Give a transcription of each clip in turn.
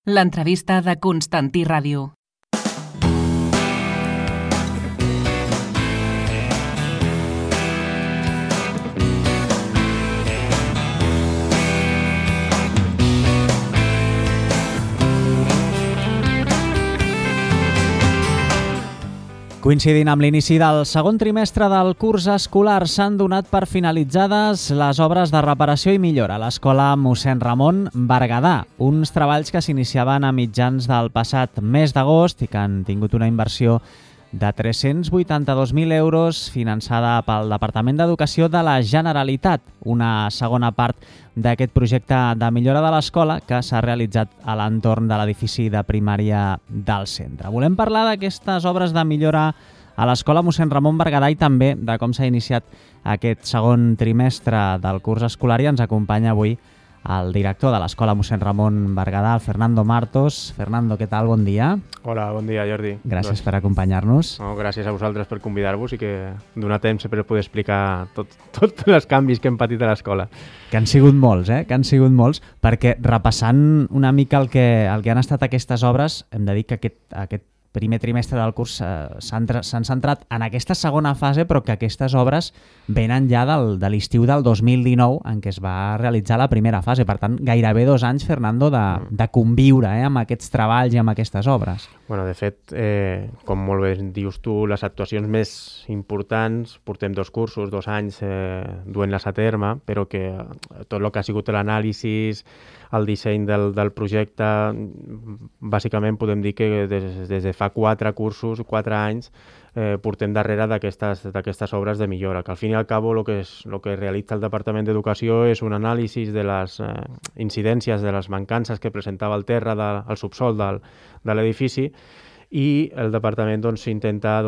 L'entrevista de Constantí Ràdio. Coincidint amb l'inici del segon trimestre del curs escolar, s'han donat per finalitzades les obres de reparació i millora a l'Escola Mossèn Ramon Berguedà, uns treballs que s'iniciaven a mitjans del passat mes d'agost i que han tingut una inversió de 382.000 euros finançada pel Departament d'Educació de la Generalitat, una segona part d'aquest projecte de millora de l'escola que s'ha realitzat a l'entorn de l'edifici de primària del centre. Volem parlar d'aquestes obres de millora a l'Escola Mossèn Ramon Berguedà i també de com s'ha iniciat aquest segon trimestre del curs escolar, i ens acompanya avui el director de l'Escola Mossèn Ramon Berguedà, Fernando Martos. Fernando, què tal? Bon dia. Hola, bon dia, Jordi. Gràcies per acompanyar-nos. No, gràcies a vosaltres per convidar-vos i que donar temps per poder explicar tots els canvis que hem patit a l'escola. Que han sigut molts, que han sigut molts, perquè repassant una mica el que han estat aquestes obres, hem de dir que aquest primer trimestre del curs s'han centrat en aquesta segona fase, però que aquestes obres venen ja de l'estiu del 2019, en què es va realitzar la primera fase. Per tant, gairebé 2 anys, Fernando, de conviure amb aquests treballs i amb aquestes obres. Bueno, de fet, com molt bé dius tu, les actuacions més importants, portem 2 cursos, 2 anys duent-les a terme, però que tot el que ha sigut l'anàlisi, el disseny del projecte, bàsicament podem dir que des de fa 4 cursos, 4 anys, portem darrere d'aquestes obres de millora, que al fin i al cabo el que realitza el Departament d'Educació és un anàlisi de les incidències, de les mancances que presentava el terra, el subsol de l'edifici, i el Departament intenta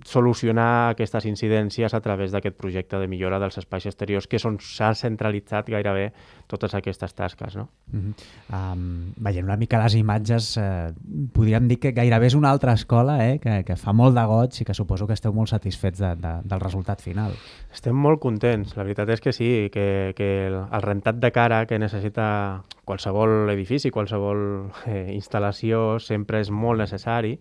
solucionar aquestes incidències a través d'aquest projecte de millora dels espais exteriors, que és on s'ha centralitzat gairebé totes aquestes tasques. No? Veient una mica les imatges, podríem dir que gairebé és una altra escola, que fa molt de goig i que suposo que esteu molt satisfets del resultat final. Estem molt contents, la veritat és que sí, que el rentat de cara que necessita qualsevol edifici, qualsevol instal·lació, sempre és molt necessari,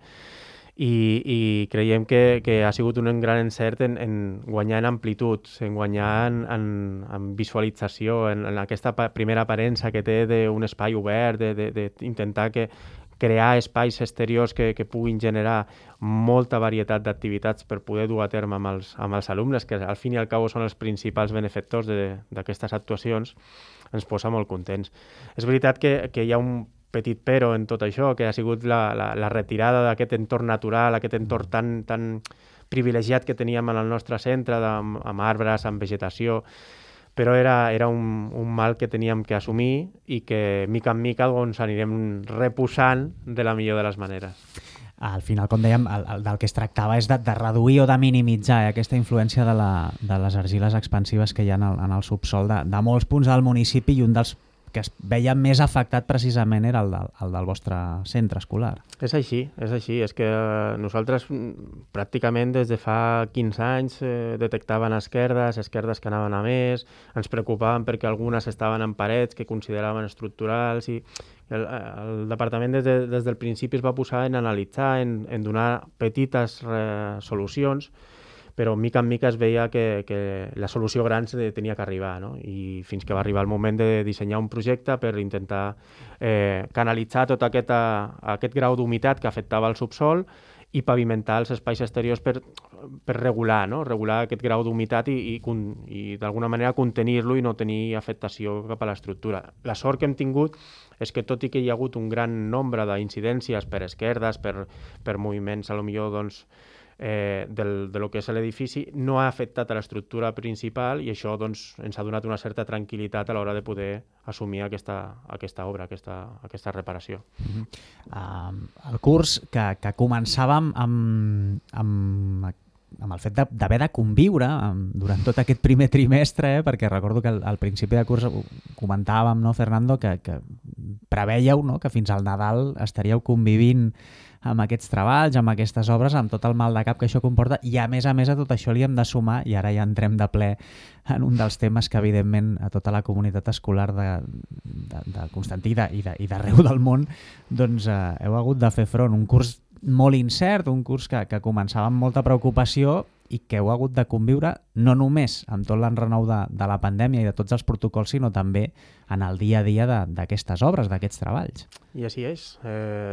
i creiem que ha sigut un gran encert en guanyar en amplitud, en guanyar en visualització, en aquesta primera aparença que té d'un espai obert, d'intentar crear espais exteriors que puguin generar molta varietat d'activitats per poder dur a terme amb els alumnes, que al fin i al cabo són els principals benefactors d'aquestes actuacions, ens posa molt contents. És veritat que hi ha un petit però en tot això, que ha sigut la retirada d'aquest entorn natural, aquest entorn tan privilegiat que teníem en el nostre centre, amb arbres, amb vegetació, però era un mal que teníem que assumir i que mica en mica anirem reposant de la millor de les maneres. Al final, com dèiem, del que es tractava és de reduir o de minimitzar aquesta influència de les argiles expansives que hi ha en el subsol de molts punts del municipi, i un dels que es veia més afectat precisament era el del vostre centre escolar. És així. És que nosaltres pràcticament des de fa 15 anys detectaven esquerdes que anaven a més, ens preocupaven perquè algunes estaven en parets que consideraven estructurals, i el departament des del principi es va posar en analitzar, en donar petites solucions, però mica en mica es veia que la solució gran tenia que arribar, no? I fins que va arribar el moment de dissenyar un projecte per intentar canalitzar tot aquest grau d'humitat que afectava el subsol i pavimentar els espais exteriors per regular, no? Regular aquest grau d'humitat i d'alguna manera contenir-lo i no tenir afectació cap a l'estructura. La sort que hem tingut és que, tot i que hi ha hagut un gran nombre d'incidències per esquerdes, per moviments, a lo millor, de lo que és l'edifici, no ha afectat a l'estructura principal, i això ens ha donat una certa tranquil·litat a l'hora de poder assumir aquesta obra, aquesta reparació. El curs que començàvem amb amb el fet d'haver de conviure durant tot aquest primer trimestre, perquè recordo que al principi de curs comentàvem, no, Fernando, que prevèieu, no, que fins al Nadal estaríeu convivint amb aquests treballs, amb aquestes obres, amb tot el mal de cap que això comporta, i a més a tot això li hem de sumar, i ara ja entrem de ple en un dels temes que evidentment a tota la comunitat escolar de Constantí i d'arreu del món doncs heu hagut de fer front. Un curs molt incert, un curs que començava amb molta preocupació i que heu hagut de conviure no només amb tot l'enrenou de la pandèmia i de tots els protocols, sinó també en el dia a dia d'aquestes obres, d'aquests treballs. I així és.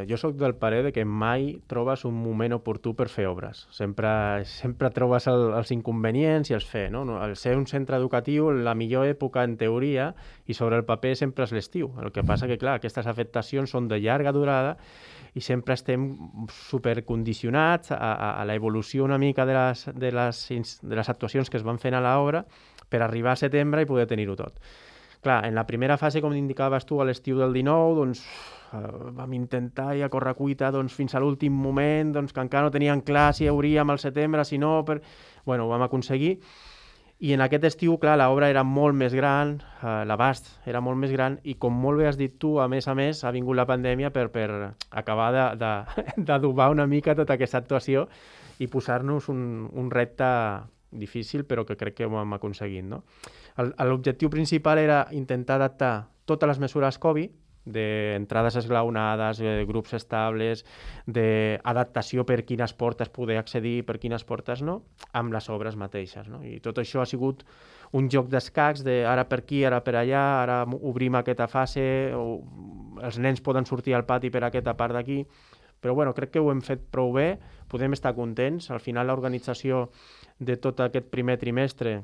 Jo sóc del parer de que mai trobes un moment oportú per fer obres. Sempre trobes els inconvenients i els fer. No? Al ser un centre educatiu, la millor època en teoria i sobre el paper sempre és l'estiu. El que passa que, clar, aquestes afectacions són de llarga durada i sempre estem supercondicionats a l'evolució una mica de les actuacions que es van fent a l'obra per arribar a setembre i poder tenir-ho tot. Clar, en la primera fase, com indicaves tu, a l'estiu del 19, doncs, vam intentar i a correcuita fins a l'últim moment, que encara no teníem clar si hauríem al setembre, si no... Bueno, ho vam aconseguir. I en aquest estiu, clar, l'obra era molt més gran, l'abast era molt més gran, i com molt bé has dit tu, a més, ha vingut la pandèmia per acabar d'adobar una mica tota aquesta actuació i posar-nos un repte difícil, però que crec que ho hem aconseguit, no? L'objectiu principal era intentar adaptar totes les mesures Covid, d'entrades esglaonades, grups estables, d'adaptació per quines portes poder accedir, per quines portes no, amb les obres mateixes. No? I tot això ha sigut un joc d'escacs, ara per aquí, ara per allà, ara obrim aquesta fase, els nens poden sortir al pati per aquesta part d'aquí, però bueno, crec que ho hem fet prou bé, podem estar contents. Al final l'organització de tot aquest primer trimestre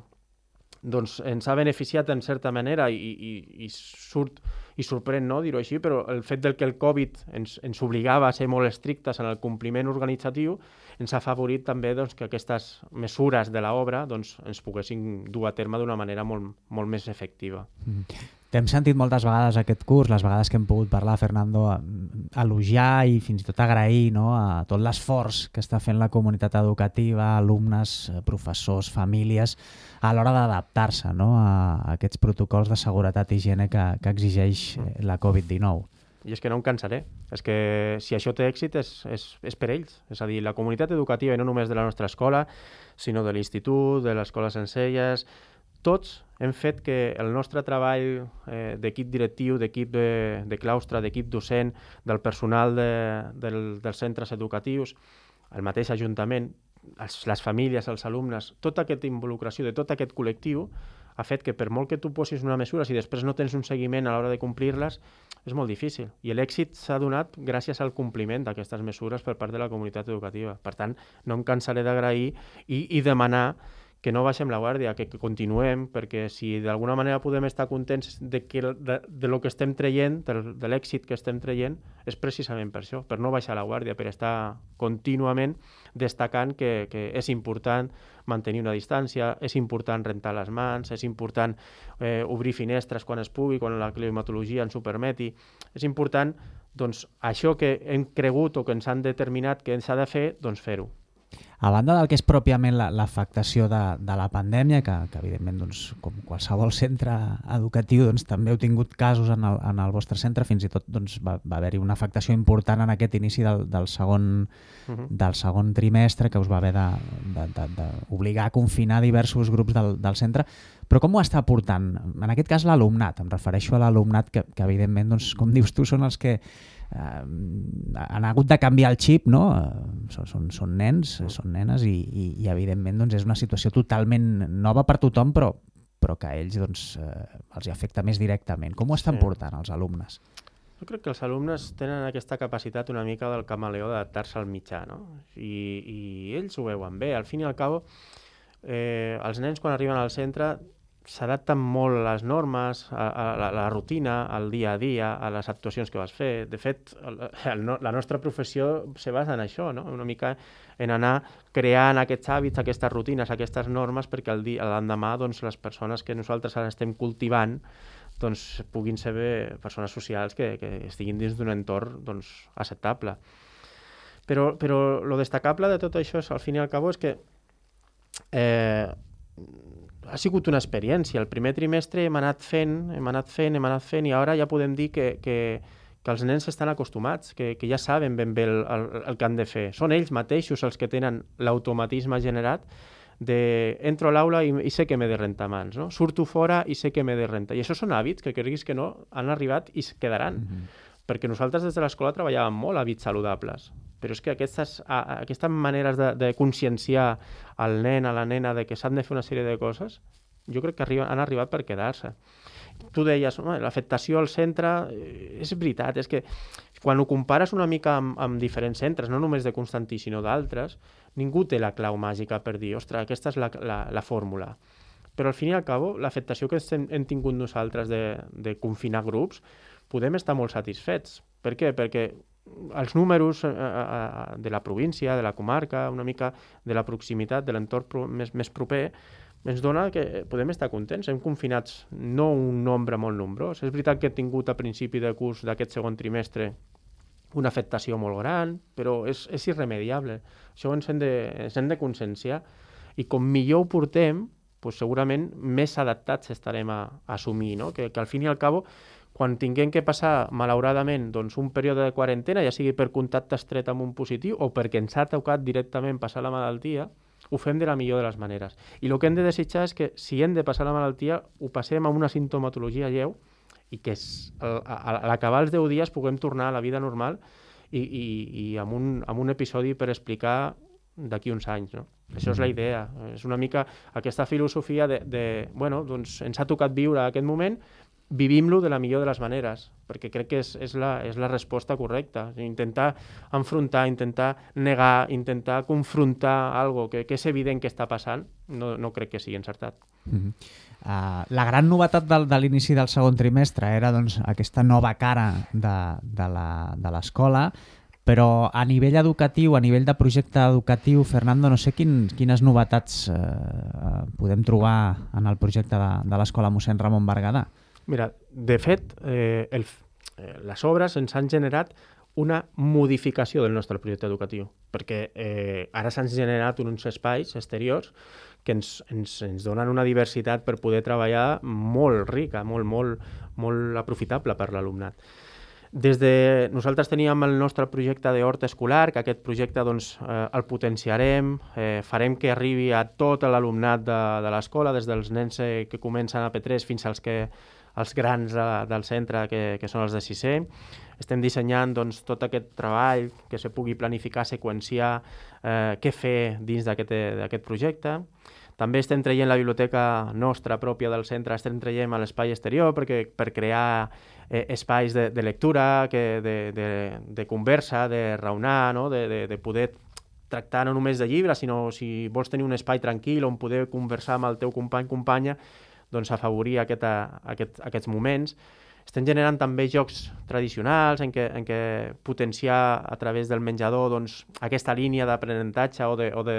doncs ens ha beneficiat en certa manera i sorprèn, no, dir-ho així, però el fet que el Covid ens obligava a ser molt estrictes en el compliment organitzatiu ens ha afavorit també que aquestes mesures de l'obra ens poguessin dur a terme d'una manera molt més efectiva. T'hem sentit moltes vegades aquest curs, les vegades que hem pogut parlar, Fernando, elogiar i fins i tot agrair, no, a tot l'esforç que està fent la comunitat educativa, alumnes, professors, famílies, a l'hora d'adaptar-se, no, a aquests protocols de seguretat i higiene que exigeix la Covid-19. I és que no em cansaré. És que si això té èxit és per ells. És a dir, la comunitat educativa, i no només de la nostra escola, sinó de l'institut, de l'escola Sencelles, tots hem fet que el nostre treball d'equip directiu, d'equip de claustre, d'equip docent, del personal dels centres educatius, el mateix ajuntament, les famílies, els alumnes, tota aquesta involucració de tot aquest col·lectiu ha fet que per molt que tu posis una mesura, si després no tens un seguiment a l'hora de complir-les, és molt difícil. I l'èxit s'ha donat gràcies al compliment d'aquestes mesures per part de la comunitat educativa. Per tant, no em cansaré d'agrair i demanar que no baixem la guàrdia, que continuem, perquè si d'alguna manera podem estar contents de lo que estem traient, de l'èxit que estem traient, és precisament per això, per no baixar la guàrdia, per estar contínuament destacant que és important mantenir una distància, és important rentar les mans, és important obrir finestres quan es pugui, quan la climatologia ens ho permeti. És important, doncs, això que hem cregut o que ens han determinat que s'ha de fer, doncs fer-ho. A banda del que és pròpiament l'afectació de la pandèmia, que evidentment, doncs, com qualsevol centre educatiu, doncs, també heu tingut casos en el vostre centre, fins i tot doncs, va haver-hi una afectació important en aquest inici del segon trimestre, que us va haver d'obligar a confinar diversos grups del centre. Però com ho està portant? En aquest cas l'alumnat, em refereixo a l'alumnat que evidentment, doncs, com dius tu, són els que han hagut de canviar el xip, no? Són nens, són nenes i evidentment doncs, és una situació totalment nova per tothom, però que a ells doncs, els afecta més directament. Com ho estan portant els alumnes? Jo crec que els alumnes tenen aquesta capacitat una mica del camaleó d'adaptar-se al mitjà, no? I ells ho veuen bé. Al fin i al cabo, els nens quan arriben al centre s'adapten molt a les normes, a la rutina, al dia a dia, a les actuacions que vas fer. De fet, la nostra professió se basa en això, no? Una mica en anar creant aquests hàbits, aquestes rutines, aquestes normes, perquè l'endemà doncs, les persones que nosaltres ara estem cultivant doncs, puguin ser persones socials que estiguin dins d'un entorn doncs, acceptable. Però lo destacable de tot això, al fin i al cabo, és que ha sigut una experiència. El primer trimestre hem anat fent, i ara ja podem dir que els nens estan acostumats, que ja saben ben bé el que han de fer. Són ells mateixos els que tenen l'automatisme generat de entro a l'aula i sé que m'he de rentar mans, no? Surto fora i sé que m'he de rentar. I això són hàbits que creguis que no han arribat i es quedaran. Perquè nosaltres des de l'escola treballàvem molt hàbits saludables, però és que aquestes maneres de conscienciar al nen, a la nena, de que s'han de fer una sèrie de coses, jo crec que han arribat per quedar-se. Tu deies, l'afectació al centre, és veritat, és que quan ho compares una mica amb diferents centres, no només de Constantí, sinó d'altres, ningú té la clau màgica per dir, ostres, aquesta és la fórmula. Però al fin i al cabo, l'afectació que hem tingut nosaltres de confinar grups, podem estar molt satisfets. Per què? Perquè els números de la província, de la comarca, una mica de la proximitat, de l'entorn més proper, ens dona que podem estar contents. Hem confinat no un nombre molt nombrós. És veritat que he tingut a principi de curs d'aquest segon trimestre una afectació molt gran, però és irremediable. Això ens hem de conscienciar. I com millor ho portem, doncs segurament més adaptats estarem a assumir, no? Que al fin i al cabo, quan tinguem que passar, malauradament, doncs, un període de quarantena, ja sigui per contacte estret amb un positiu o perquè ens ha tocat directament passar la malaltia, ho fem de la millor de les maneres. I el que hem de desitjar és que, si hem de passar la malaltia, ho passem amb una sintomatologia lleu i que a l'acabar els 10 dies puguem tornar a la vida normal i amb un episodi per explicar d'aquí uns anys, no? Això és la idea. És una mica aquesta filosofia bueno, doncs ens ha tocat viure aquest moment, vivim-lo de la millor de les maneres, perquè crec que és la resposta correcta. Intentar enfrontar, intentar negar, intentar confrontar algo que és evident que està passant, no crec que sigui encertat. La gran novetat de l'inici del segon trimestre era doncs, aquesta nova cara de l'escola, però a nivell educatiu, a nivell de projecte educatiu, Fernando, no sé quines novetats podem trobar en el projecte de l'escola mossèn Ramon Berguedà. Mira, de fet, les obres ens han generat una modificació del nostre projecte educatiu, perquè ara s'han generat uns espais exteriors que ens donen una diversitat per poder treballar molt rica, molt aprofitable per l'alumnat. Nosaltres teníem el nostre projecte d'hort escolar, que aquest projecte doncs, el potenciarem, farem que arribi a tot l'alumnat de l'escola, des dels nens que comencen a P3 fins als grans del centre, que són els de sisè. Estem dissenyant doncs, tot aquest treball, que se pugui planificar, seqüenciar, què fer dins d'aquest projecte. També estem traient la biblioteca nostra pròpia del centre, estem traient a l'espai exterior per crear espais de lectura, de conversa, de raonar, no? de poder tractar no només de llibres, sinó si vols tenir un espai tranquil on poder conversar amb el teu company, companya, doncs afavorir aquests moments. Estem generant també jocs tradicionals en què potenciar a través del menjador doncs, aquesta línia d'aprenentatge o de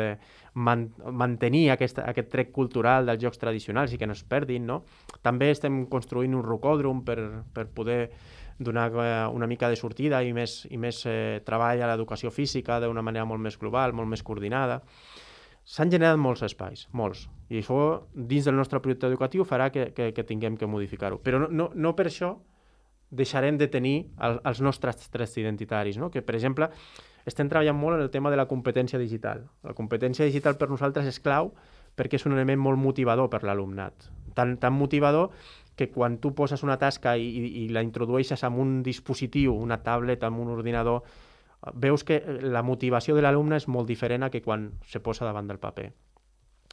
mantenir aquest tret cultural dels jocs tradicionals i que no es perdin, no? També estem construint un rocòdrom per poder donar una mica de sortida i més treball a l'educació física d'una manera molt més global, molt més coordinada. S'han generat molts espais, molts, i això dins del nostre projecte educatiu farà que tinguem que modificar-ho. Però no per això deixarem de tenir els nostres trets identitaris, no? Que, per exemple, estem treballant molt en el tema de la competència digital. La competència digital per nosaltres és clau perquè és un element molt motivador per l'alumnat. Tan motivador que quan tu poses una tasca i la introdueixes en un dispositiu, una tablet, en un ordinador, veus que la motivació de l'alumne és molt diferent a que quan se posa davant del paper.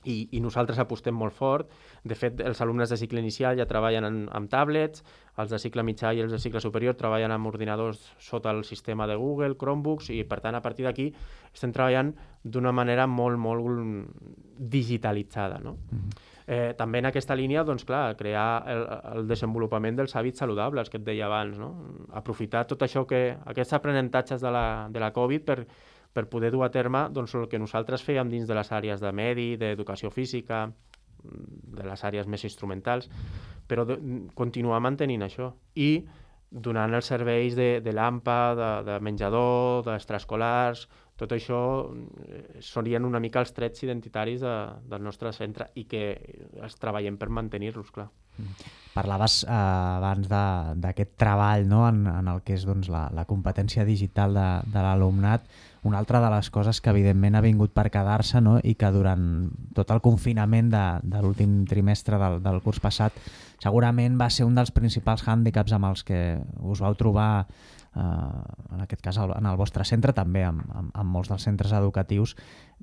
I nosaltres apostem molt fort. De fet, els alumnes de cicle inicial ja treballen amb tablets, els de cicle mitjà i els de cicle superior treballen amb ordinadors sota el sistema de Google, Chromebooks, i per tant, a partir d'aquí estem treballant d'una manera molt, molt digitalitzada, no? També en aquesta línia, doncs clar, crear el desenvolupament dels hàbits saludables que et deia abans, no? Aprofitar tot això aquests aprenentatges de la Covid per poder dur a terme doncs, el que nosaltres fèiem dins de les àrees de medi, d'educació física, de les àrees més instrumentals, però continuar mantenint això i donant els serveis de l'AMPA, de menjador, d'extraescolars, Tot això serien una mica els trets identitaris del nostre centre i que els treballem per mantenir-los, clar. Parlaves abans d'aquest treball, no? en el que és doncs, la competència digital de l'alumnat. Una altra de les coses que evidentment ha vingut per quedar-se, no? I que durant tot el confinament de l'últim trimestre del curs passat segurament va ser un dels principals hàndicaps amb els que us vau trobar, en aquest cas en el vostre centre, també amb molts dels centres educatius,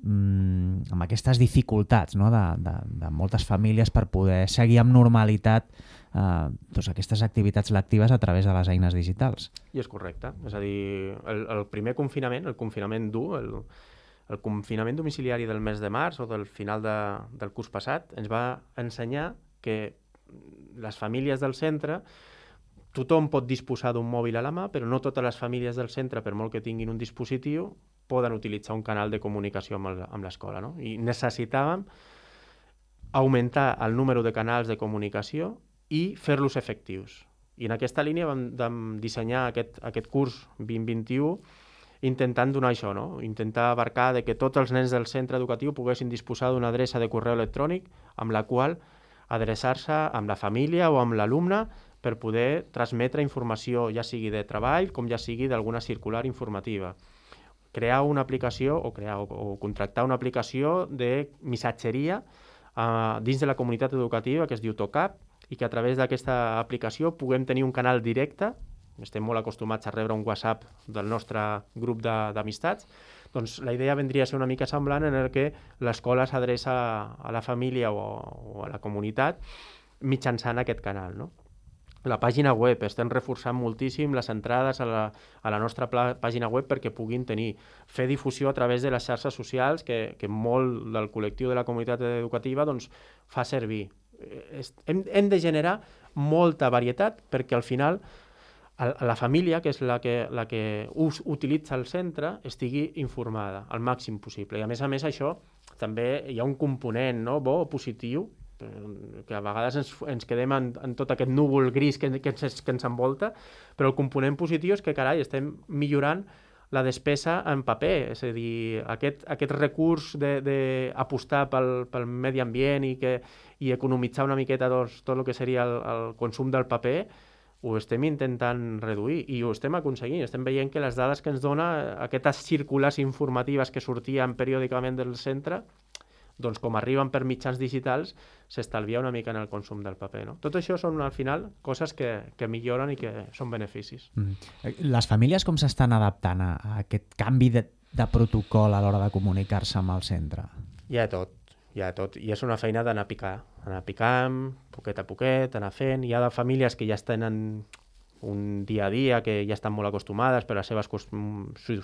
amb aquestes dificultats, no? de moltes famílies per poder seguir amb normalitat doncs aquestes activitats lectives a través de les eines digitals. I és correcte. És a dir, el primer confinament, el confinament dur, el confinament domiciliari del mes de març o del final del curs passat, ens va ensenyar que les famílies del centre, tothom pot disposar d'un mòbil a la mà, però no totes les famílies del centre, per molt que tinguin un dispositiu, poden utilitzar un canal de comunicació amb l'escola. No? I necessitàvem augmentar el número de canals de comunicació i fer-los efectius. I en aquesta línia vam dissenyar aquest curs 2021 intentant donar això, no? Intentar abarcar que tots els nens del centre educatiu poguessin disposar d'una adreça de correu electrònic amb la qual adreçar-se amb la família o amb l'alumne per poder transmetre informació, ja sigui de treball com ja sigui d'alguna circular informativa. Crear una aplicació o contractar una aplicació de missatgeria dins de la comunitat educativa que es diu TOCAP i que a través d'aquesta aplicació puguem tenir un canal directe. Estem molt acostumats a rebre un WhatsApp del nostre grup d'amistats. Doncs la idea vendria a ser una mica semblant en el que l'escola s'adreça a la família o a la comunitat mitjançant aquest canal, no? La pàgina web, estem reforçant moltíssim les entrades a la nostra pàgina web perquè puguin fer difusió a través de les xarxes socials que molt del col·lectiu de la comunitat educativa doncs, fa servir. Hem de generar molta varietat perquè al final la família, que és la que utilitza el centre, estigui informada al màxim possible. I a més això també hi ha un component, no, bo o positiu, que a vegades ens quedem en tot aquest núvol gris que ens envolta, però el component positiu és que, carai, estem millorant la despesa en paper, és a dir, aquest recurs d'apostar pel medi ambient i economitzar una miqueta tot el que seria el consum del paper, ho estem intentant reduir i ho estem aconseguint. Estem veient que les dades que ens dona aquestes circulars informatives que sortien periòdicament del centre, doncs com arriben per mitjans digitals, s'estalvia una mica en el consum del paper. No? Tot això són, al final, coses que milloren i que són beneficis. Les famílies com s'estan adaptant a aquest canvi de protocol a l'hora de comunicar-se amb el centre? Hi ha tot. I és una feina d'anar picant, poquet a poquet, anar fent. Hi ha de famílies que ja tenen un dia a dia, que ja estan molt acostumades per les seves,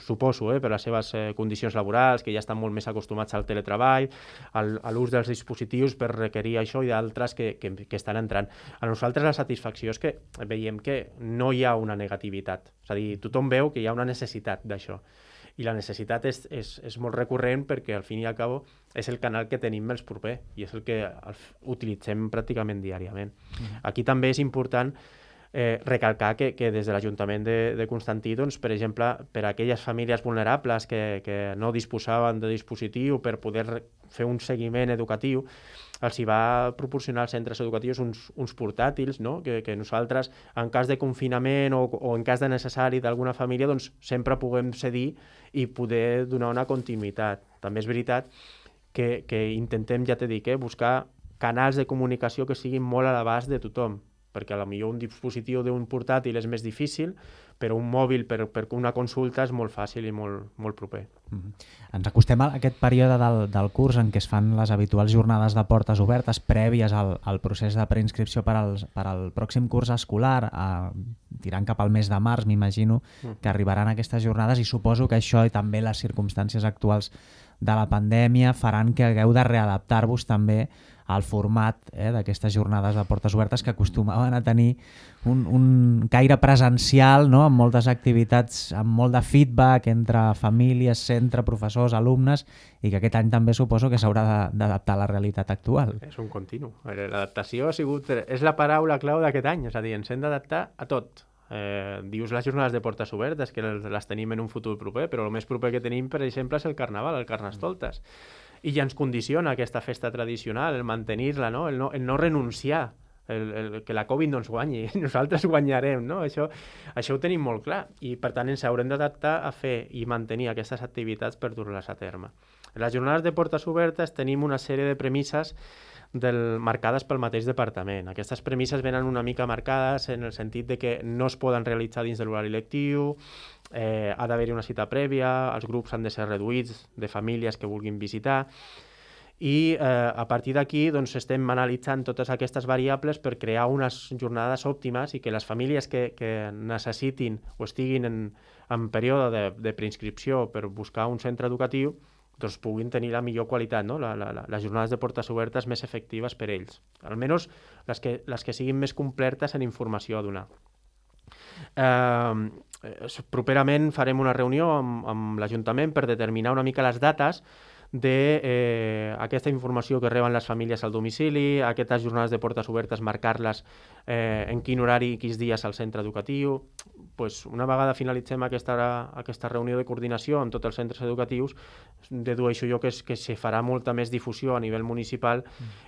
suposo, per les seves condicions laborals, que ja estan molt més acostumats al teletreball, a l'ús dels dispositius per requerir això i d'altres que estan entrant. A nosaltres la satisfacció és que veiem que no hi ha una negativitat. És a dir, tothom veu que hi ha una necessitat d'això. I la necessitat és molt recurrent perquè al fin i al cabo és el canal que tenim més proper i és el que utilitzem pràcticament diàriament. Aquí també és important recalcar que des de l'Ajuntament de Constantí, doncs, per exemple, per a aquelles famílies vulnerables que no disposaven de dispositiu per poder fer un seguiment educatiu, els hi va proporcionar als centres educatius uns portàtils, no? que nosaltres, en cas de confinament o en cas de necessari d'alguna família, doncs sempre puguem cedir i poder donar una continuïtat. També és veritat que intentem, ja t'he dit, buscar canals de comunicació que siguin molt a l'abast de tothom, perquè potser un dispositiu d'un portàtil és més difícil, però un mòbil per una consulta és molt fàcil i molt proper. Ens acostem a aquest període del curs en què es fan les habituals jornades de portes obertes prèvies al procés de preinscripció per al pròxim curs escolar, tirant cap al mes de març, m'imagino que arribaran aquestes jornades i suposo que això i també les circumstàncies actuals de la pandèmia faran que hagueu de readaptar-vos també al format d'aquestes jornades de portes obertes que acostumaven a tenir un caire presencial, no? Amb moltes activitats, amb molt de feedback entre famílies, centre, professors, alumnes, i que aquest any també suposo que s'haurà d'adaptar a la realitat actual. És un continu. L'adaptació és la paraula clau d'aquest any, és a dir, ens hem d'adaptar a tot. Dius les jornades de portes obertes, que les tenim en un futur proper, però el més proper que tenim, per exemple, és el Carnaval, el Carnestoltes. I ja ens condiciona aquesta festa tradicional, el mantenir-la, no? El no renunciar, que la Covid no ens guanyi, nosaltres guanyarem, no? Això ho tenim molt clar i per tant ens haurem d'adaptar a fer i mantenir aquestes activitats per dur-les a terme. En les jornades de portes obertes tenim una sèrie de premisses marcades pel mateix departament. Aquestes premisses venen una mica marcades en el sentit de que no es poden realitzar dins de l'horari lectiu, ha d'haver-hi una cita prèvia, els grups han de ser reduïts de famílies que vulguin visitar i a partir d'aquí doncs, estem analitzant totes aquestes variables per crear unes jornades òptimes i que les famílies que necessitin o estiguin en període de preinscripció per buscar un centre educatiu doncs puguin tenir la millor qualitat, no? Les jornades de portes obertes més efectives per ells. Almenys les que siguin més completes en informació a donar. Properament farem una reunió amb l'Ajuntament per determinar una mica les dates d'aquesta informació que reben les famílies al domicili, aquestes jornades de portes obertes, marcar-les en quin horari i quins dies al centre educatiu. Pues una vegada finalitzem aquesta reunió de coordinació amb tots els centres educatius, dedueixo jo que se farà molta més difusió a nivell municipal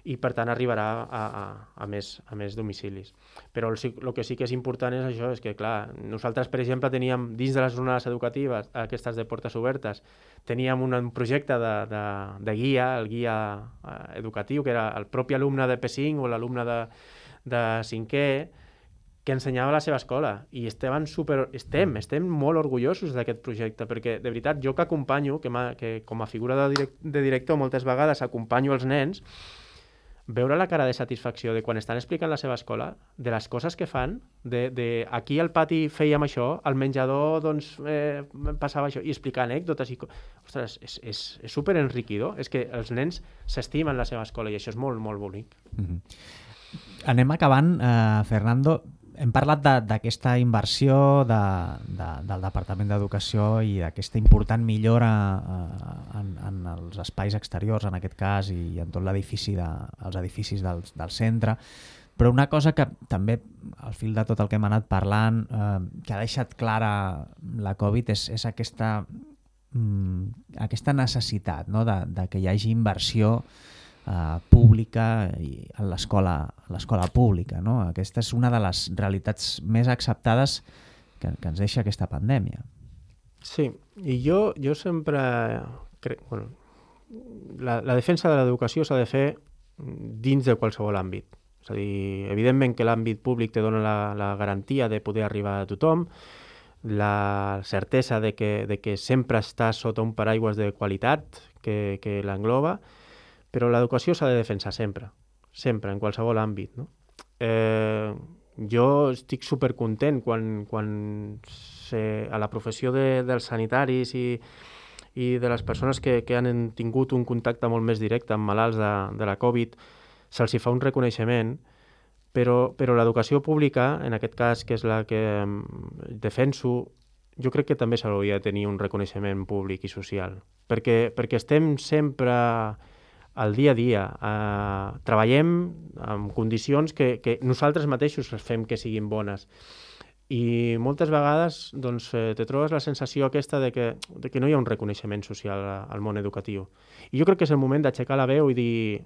i per tant arribarà a més domicilis. Però el que sí que és important és això, és que clar, nosaltres per exemple teníem dins de les jornades educatives, aquestes de portes obertes, teníem un projecte de guia, el guia educatiu, que era el propi alumne de P5 o l'alumne de 5è, que ensenyava a la seva escola i estem molt orgullosos d'aquest projecte perquè de veritat jo que acompanyo, que com a figura de director moltes vegades acompanyo els nens, veure la cara de satisfacció de quan estan explicant la seva escola, de les coses que fan, de aquí al pati fèiem això, al menjador doncs passava això, i explicar anècdotes i ostres, és superenriquidor, és que els nens s'estimen la seva escola i això és molt, molt bonic. Anem acabant, Fernando. Hem parlat d'aquesta inversió del Departament d'Educació i d'aquesta important millora en els espais exteriors, en aquest cas, i en tot l'edifici, els edificis del centre. Però una cosa que també, al fil de tot el que hem anat parlant, que ha deixat clara la Covid és aquesta necessitat, no? de que hi hagi inversió pública en l'escola pública, no? Aquesta és una de les realitats més acceptades que ens deixa aquesta pandèmia. Sí, i jo sempre crec... Bueno, la defensa de l'educació s'ha de fer dins de qualsevol àmbit. És a dir, evidentment que l'àmbit públic te dona la garantia de poder arribar a tothom, la certesa de que sempre està sota un paraigües de qualitat que l'engloba, però l'educació s'ha de defensar sempre, en qualsevol àmbit, no? Jo estic supercontent quan a la professió dels sanitaris i de les persones que han tingut un contacte molt més directe amb malalts de la Covid, se'ls fa un reconeixement, però l'educació pública, en aquest cas, que és la que defenso, jo crec que també s'hauria de tenir un reconeixement públic i social, perquè estem sempre al dia a dia, treballem en condicions que nosaltres mateixos fem que siguin bones. I moltes vegades doncs, te trobes la sensació aquesta de que no hi ha un reconeixement social al món educatiu. I jo crec que és el moment d'aixecar la veu i dir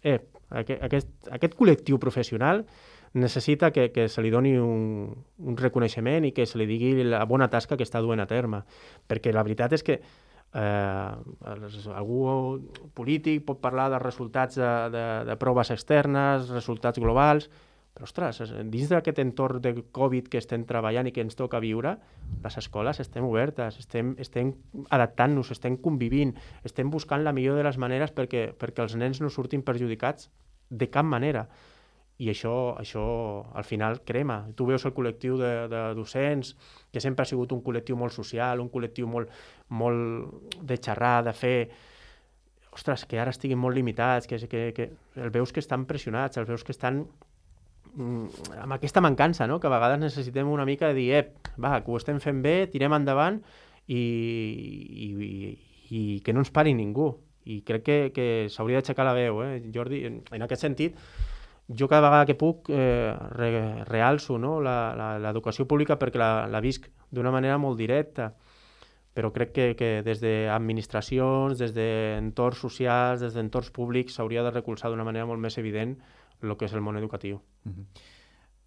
aquest col·lectiu professional necessita que se li doni un reconeixement i que se li digui la bona tasca que està duent a terme. Perquè la veritat és que algú polític pot parlar dels resultats de proves externes, resultats globals, però ostres, dins d'aquest entorn de Covid que estem treballant i que ens toca viure, les escoles estem obertes, estem adaptant-nos, estem convivint, estem buscant la millor de les maneres perquè els nens no surtin perjudicats de cap manera. I això al final crema. Tu veus el col·lectiu de docents, que sempre ha sigut un col·lectiu molt social, un col·lectiu molt de xerrar, de fer... Ostres, que ara estiguin molt limitats, que els veus que estan pressionats, els veus que estan amb aquesta mancança, no? Que a vegades necessitem una mica de dir que ho estem fent bé, tirem endavant i que no ens pari ningú. I crec que s'hauria d'aixecar la veu, Jordi, en aquest sentit. jo cada vegada que puc realço, no? L'educació pública perquè la visc d'una manera molt directa, però crec que des d'administracions, des d'entorns socials, des d'entorns públics, s'hauria de recolzar d'una manera molt més evident el que és el món educatiu.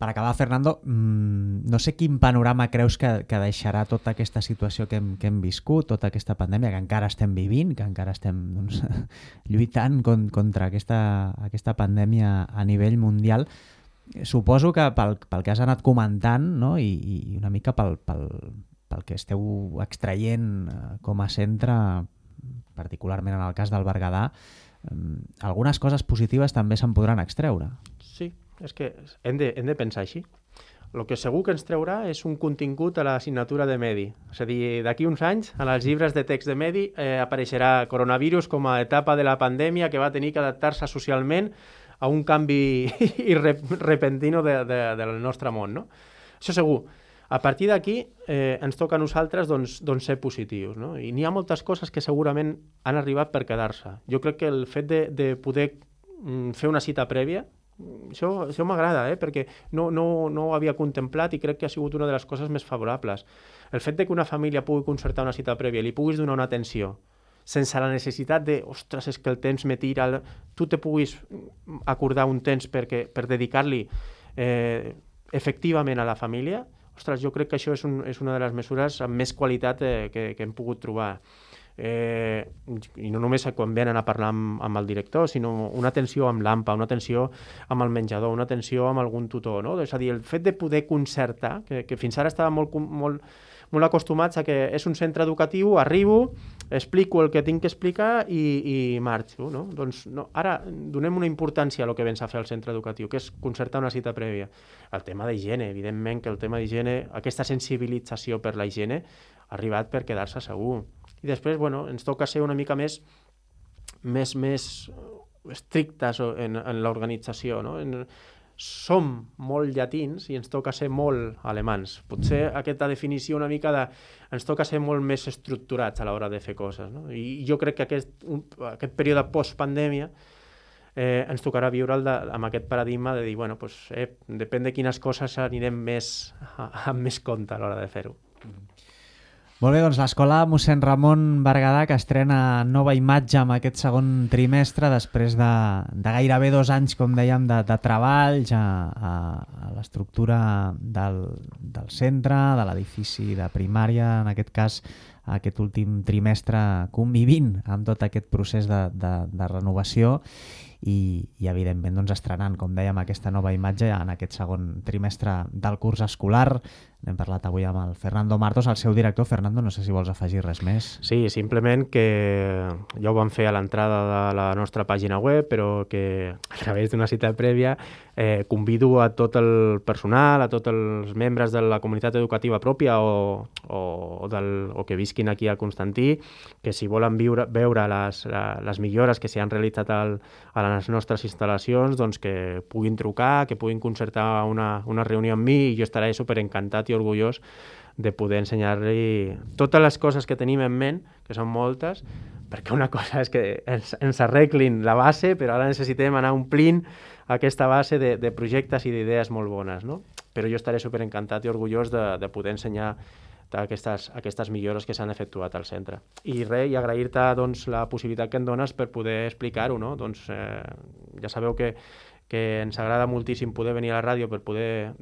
Per acabar, Fernando, no sé quin panorama creus que deixarà tota aquesta situació que hem viscut, tota aquesta pandèmia que encara estem vivint, que encara estem lluitant contra aquesta pandèmia a nivell mundial. Suposo que pel que has anat comentant, no? I una mica pel que esteu extraient com a centre, particularment en el cas del Berguedà, algunes coses positives també se'n podran extreure. Sí, és que hem de pensar així. El que segur que ens treurà és un contingut a l'assignatura de Medi. És a dir, d'aquí uns anys, en els llibres de text de Medi apareixerà coronavirus com a etapa de la pandèmia que va tenir que adaptar-se socialment a un canvi repentino del nostre món, no? Això segur. A partir d'aquí ens toca a nosaltres ser positius, no? I n'hi ha moltes coses que segurament han arribat per quedar-se. Jo crec que el fet de poder fer una cita prèvia, això m'agrada, perquè no ho havia contemplat i crec que ha sigut una de les coses més favorables. El fet de que una família pugui concertar una cita prèvia i li puguis donar una atenció sense la necessitat de, ostres, és que el temps me tira, tu te puguis acordar un temps per dedicar-li efectivament a la família, ostres, jo crec que això és una de les mesures amb més qualitat que hem pogut trobar. I no només quan venen a parlar amb el director, sinó una atenció amb l'AMPA, una atenció amb el menjador, una atenció amb algun tutor, no? És a dir, el fet de poder concertar, que fins ara estàvem molt acostumats a que és un centre educatiu, arribo, explico el que tinc que explicar i marxo, no? Doncs no, ara donem una importància a el que vens a fer al centre educatiu, que és concertar una cita prèvia. El tema d'higiene, evidentment que el tema d'higiene, aquesta sensibilització per la higiene ha arribat per quedar-se segur. I després, ens toca ser una mica més estrictes en l'organització, no? Som molt llatins i ens toca ser molt alemans. Potser aquesta definició una mica ens toca ser molt més estructurats a l'hora de fer coses, no? I jo crec que aquest període post-pandèmia ens tocarà viure amb aquest paradigma de dir, depèn de quines coses anirem amb més compte a l'hora de fer-ho. Molt bé, doncs l'Escola Mossèn Ramon Berguedà, que estrena nova imatge amb aquest segon trimestre després de gairebé 2 anys, com dèiem, de treballs a l'estructura del centre, de l'edifici de primària, en aquest cas aquest últim trimestre convivint amb tot aquest procés de renovació i evidentment estrenant, com dèiem, aquesta nova imatge en aquest segon trimestre del curs escolar. N'hem parlat avui amb el Fernando Martos, el seu director. Fernando, no sé si vols afegir res més. Sí, simplement que ja ho vam fer a l'entrada de la nostra pàgina web, però que a través d'una cita prèvia convido a tot el personal, a tots els membres de la comunitat educativa pròpia o que visquin aquí a Constantí, que si volen veure les millores que s'han realitzat a les nostres instal·lacions, doncs que puguin trucar, que puguin concertar una reunió amb mi i jo estaré superencantat i orgullós de poder ensenyar-li totes les coses que tenim en ment, que són moltes, perquè una cosa és que ens arreglin la base, però ara necessitem anar omplint aquesta base de projectes i d'idees molt bones, no? Però jo estaré superencantat i orgullós de poder ensenyar aquestes millores que s'han efectuat al centre. I agrair-te la possibilitat que em dones per poder explicar-ho, no? Ja sabeu que ens agrada moltíssim poder venir a la ràdio per poder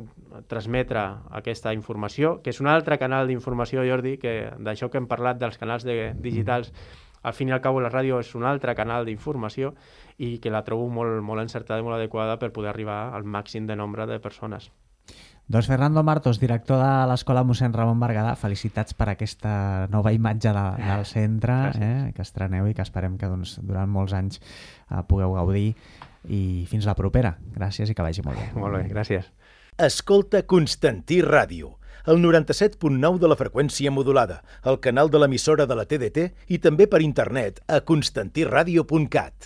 transmetre aquesta informació, que és un altre canal d'informació, Jordi, que d'això que hem parlat dels canals digitals, al fin i al cabo la ràdio és un altre canal d'informació i que la trobo molt encertada i molt adequada per poder arribar al màxim de nombre de persones. Doncs Fernando Martos, director de l'Escola Mossèn Ramon Berguedà, felicitats per aquesta nova imatge del centre que estreneu i que esperem que durant molts anys pugueu gaudir. I fins la propera. Gràcies i que vagi molt bé. Molt bé, gràcies. Escolta Constantí Ràdio, el 97.9 de la freqüència modulada, el canal de l'emissora de la TDT i també per internet a constantiradio.cat.